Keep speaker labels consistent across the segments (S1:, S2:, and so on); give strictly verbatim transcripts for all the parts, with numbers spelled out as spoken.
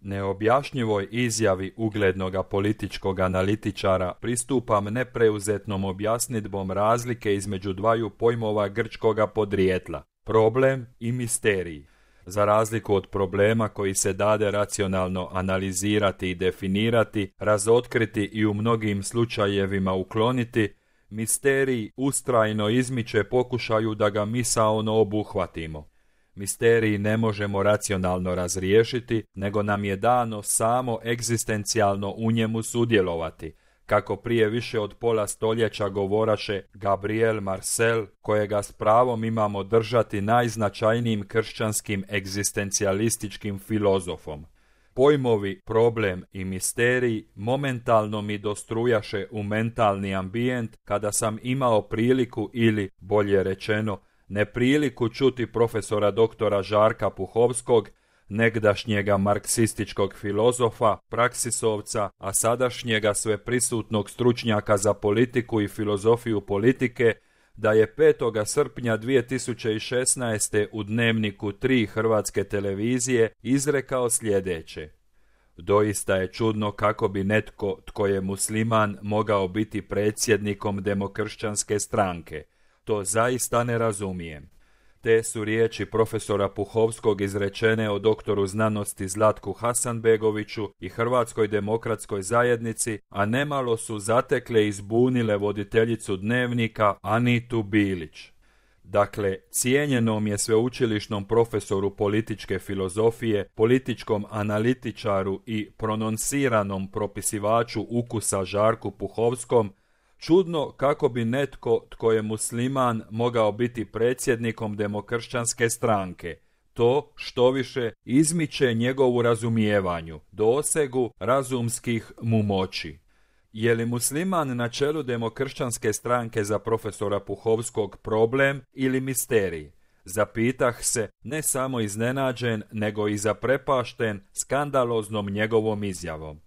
S1: Neobjašnjivoj izjavi uglednoga političkog analitičara pristupam nepreuzetnom objasnidbom razlike između dvaju pojmova grčkoga podrijetla, problem i misterij. Za razliku od problema koji se dade racionalno analizirati i definirati, razotkriti i u mnogim slučajevima ukloniti, misterij ustrajno izmiče pokušaju da ga misaono obuhvatimo. Misterij ne možemo racionalno razriješiti, nego nam je dano samo egzistencijalno u njemu sudjelovati, kako prije više od pola stoljeća govoraše Gabriel Marcel, kojega s pravom imamo držati najznačajnijim kršćanskim egzistencijalističkim filozofom. Pojmovi problem i misterij momentalno mi dostrujaše u mentalni ambijent kada sam imao priliku ili, bolje rečeno, nepriliku čuti profesora doktora Žarka Puhovskog, negdašnjega marksističkog filozofa, praksisovca, a sadašnjega sveprisutnog stručnjaka za politiku i filozofiju politike, da je petog srpnja dvije tisuće šesnaeste. u Dnevniku tri Hrvatske televizije izrekao sljedeće: doista je čudno kako bi netko tko je musliman mogao biti predsjednikom demokršćanske stranke. To zaista ne razumijem. Te su riječi profesora Puhovskog izrečene o doktoru znanosti Zlatku Hasanbegoviću i Hrvatskoj demokratskoj zajednici, a nemalo su zatekle i zbunile voditeljicu Dnevnika Anitu Bilić. Dakle, cijenjenom je sveučilišnom profesoru političke filozofije, političkom analitičaru i prononciranom propisivaču ukusa Žarku Puhovskom čudno kako bi netko tko je musliman mogao biti predsjednikom demokršćanske stranke. To, štoviše, izmiče njegovu razumijevanju, dosegu razumskih mu moći. Je li musliman na čelu demokršćanske stranke za profesora Puhovskog problem ili misterij? Zapitah se, ne samo iznenađen, nego i zaprepašten skandaloznom njegovom izjavom.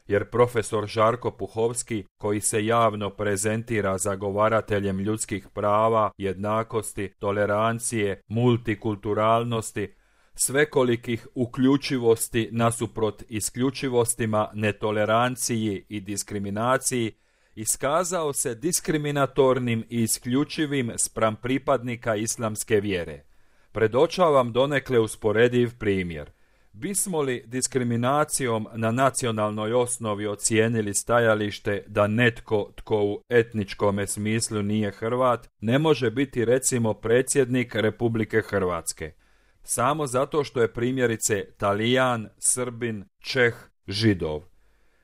S1: Jer profesor Žarko Puhovski, koji se javno prezentira zagovarateljem ljudskih prava, jednakosti, tolerancije, multikulturalnosti, svekolikih uključivosti nasuprot isključivostima, netoleranciji i diskriminaciji, iskazao se diskriminatornim i isključivim spram pripadnika islamske vjere. Predočavam donekle usporediv primjer. Bismo li diskriminacijom na nacionalnoj osnovi ocijenili stajalište da netko tko u etničkome smislu nije Hrvat ne može biti recimo predsjednik Republike Hrvatske? Samo zato što je primjerice Talijan, Srbin, Čeh, Židov.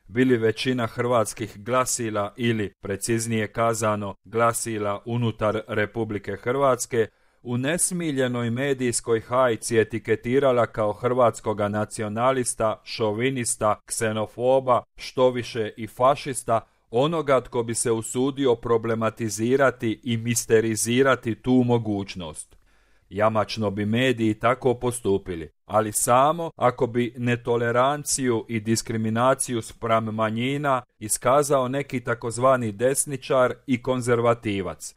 S1: Bili većina hrvatskih glasila ili, preciznije kazano, glasila unutar Republike Hrvatske u nesmiljenoj medijskoj hajci etiketirala kao hrvatskoga nacionalista, šovinista, ksenofoba, štoviše i fašista, onoga tko bi se usudio problematizirati i misterizirati tu mogućnost. Jamačno bi mediji tako postupili, ali samo ako bi netoleranciju i diskriminaciju spram manjina iskazao neki takozvani desničar i konzervativac,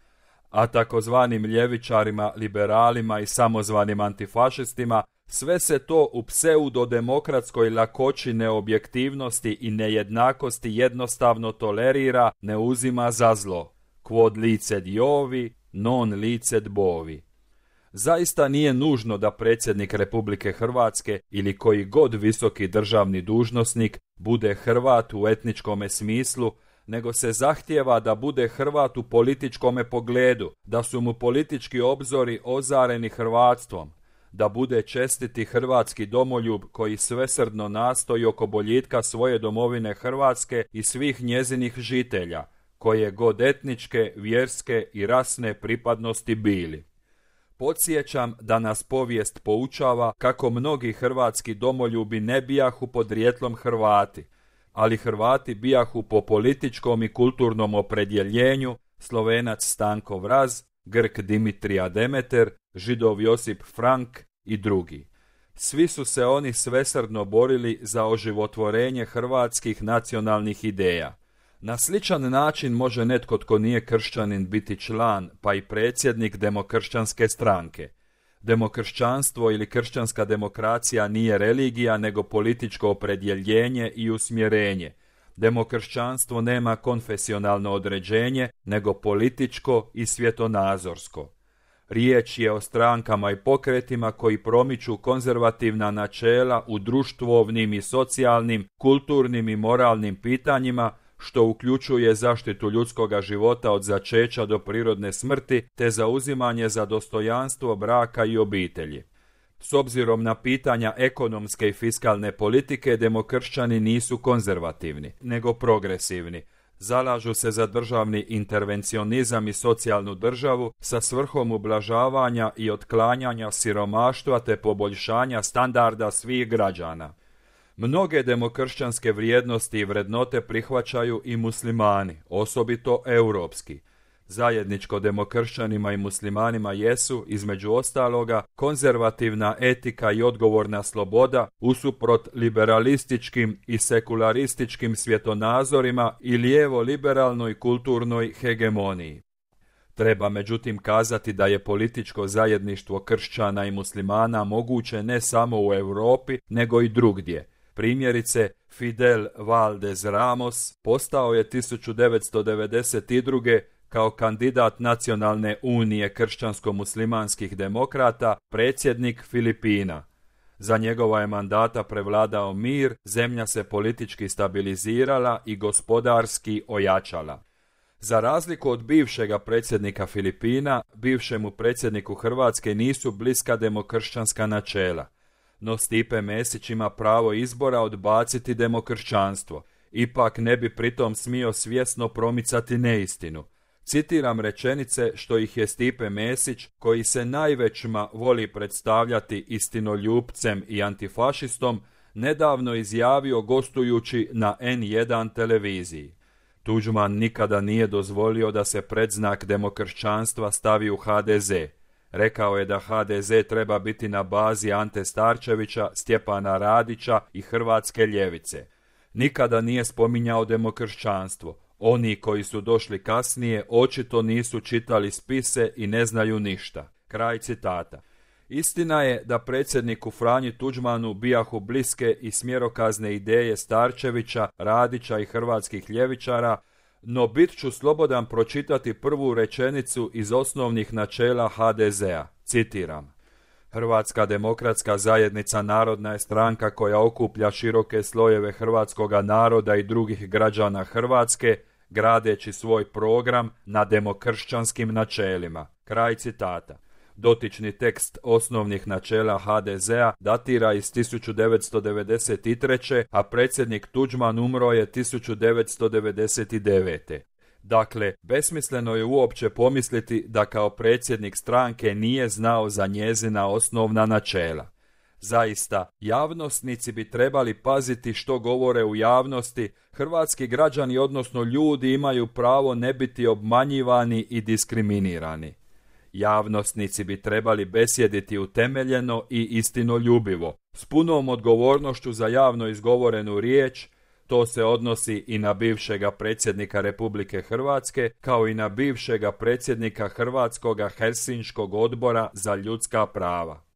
S1: a takozvanim ljevičarima, liberalima i samozvanim antifašistima sve se to u pseudodemokratskoj lakoći neobjektivnosti i nejednakosti jednostavno tolerira, ne uzima za zlo. Quod liced Iovi, non liced bovi. Zaista nije nužno da predsjednik Republike Hrvatske ili koji god visoki državni dužnosnik bude Hrvat u etničkome smislu, nego se zahtijeva da bude Hrvat u političkome pogledu, da su mu politički obzori ozareni hrvatstvom, da bude čestiti hrvatski domoljub koji svesrdno nastoji oko boljitka svoje domovine Hrvatske i svih njezinih žitelja, koje god etničke, vjerske i rasne pripadnosti bili. Podsjećam da nas povijest poučava kako mnogi hrvatski domoljubi ne bijahu podrijetlom Hrvati, ali Hrvati bijahu po političkom i kulturnom opredjeljenju Slovenac Stanko Vraz, Grk Dimitrija Demeter, Židov Josip Frank i drugi. Svi su se oni svesrdno borili za oživotvorenje hrvatskih nacionalnih ideja. Na sličan način može netko tko nije kršćanin biti član, pa i predsjednik demokršćanske stranke. Demokršćanstvo ili kršćanska demokracija nije religija, nego političko opredjeljenje i usmjerenje. Demokršćanstvo nema konfesionalno određenje, nego političko i svjetonazorsko. Riječ je o strankama i pokretima koji promiču konzervativna načela u društvovnim i socijalnim, kulturnim i moralnim pitanjima, što uključuje zaštitu ljudskoga života od začeća do prirodne smrti, te zauzimanje za dostojanstvo braka i obitelji. S obzirom na pitanja ekonomske i fiskalne politike, demokršćani nisu konzervativni, nego progresivni. Zalažu se za državni intervencionizam i socijalnu državu sa svrhom ublažavanja i otklanjanja siromaštva te poboljšanja standarda svih građana. Mnoge demokršćanske vrijednosti i vrednote prihvaćaju i muslimani, osobito europski. Zajedničko demokršćanima i muslimanima jesu, između ostaloga, konzervativna etika i odgovorna sloboda usuprot liberalističkim i sekularističkim svjetonazorima i lijevo-liberalnoj kulturnoj hegemoniji. Treba međutim kazati da je političko zajedništvo kršćana i muslimana moguće ne samo u Europi, nego i drugdje. Primjerice, Fidel Valdez Ramos postao je tisuću devetsto devedeset druge kao kandidat Nacionalne unije kršćansko-muslimanskih demokrata predsjednik Filipina. Za njegova je mandata prevladao mir, zemlja se politički stabilizirala i gospodarski ojačala. Za razliku od bivšega predsjednika Filipina, bivšemu predsjedniku Hrvatske nisu bliska demokršćanska načela. No Stipe Mesić ima pravo izbora odbaciti demokršćanstvo. Ipak ne bi pritom smio svjesno promicati neistinu. Citiram rečenice što ih je Stipe Mesić, koji se najvećma voli predstavljati istinoljupcem i antifašistom, nedavno izjavio gostujući na en jedan televiziji. Tuđman nikada nije dozvolio da se predznak demokršćanstva stavi u ha de ze. Rekao je da ha de ze treba biti na bazi Ante Starčevića, Stjepana Radića i hrvatske ljevice. Nikada nije spominjao demokršćanstvo. Oni koji su došli kasnije očito nisu čitali spise i ne znaju ništa. Kraj citata. Istina je da predsjedniku Franji Tuđmanu bijahu bliske i smjerokazne ideje Starčevića, Radića i hrvatskih ljevičara, no bit ću slobodan pročitati prvu rečenicu iz osnovnih načela ha de zea. Citiram. Hrvatska demokratska zajednica narodna je stranka koja okuplja široke slojeve hrvatskoga naroda i drugih građana Hrvatske, gradeći svoj program na demokršćanskim načelima. Kraj citata. Dotični tekst osnovnih načela ha de zea datira iz tisuću devetsto devedeset treće. a predsjednik Tuđman umro je tisuću devetsto devedeset devete. Dakle, besmisleno je uopće pomisliti da kao predsjednik stranke nije znao za njezina osnovna načela. Zaista, javnosnici bi trebali paziti što govore u javnosti. Hrvatski građani, odnosno ljudi, imaju pravo ne biti obmanjivani i diskriminirani. Javnosnici bi trebali besjediti utemeljeno i istinoljubivo, s punom odgovornošću za javno izgovorenu riječ. To se odnosi i na bivšega predsjednika Republike Hrvatske, kao i na bivšega predsjednika Hrvatskoga Helsinškog odbora za ljudska prava.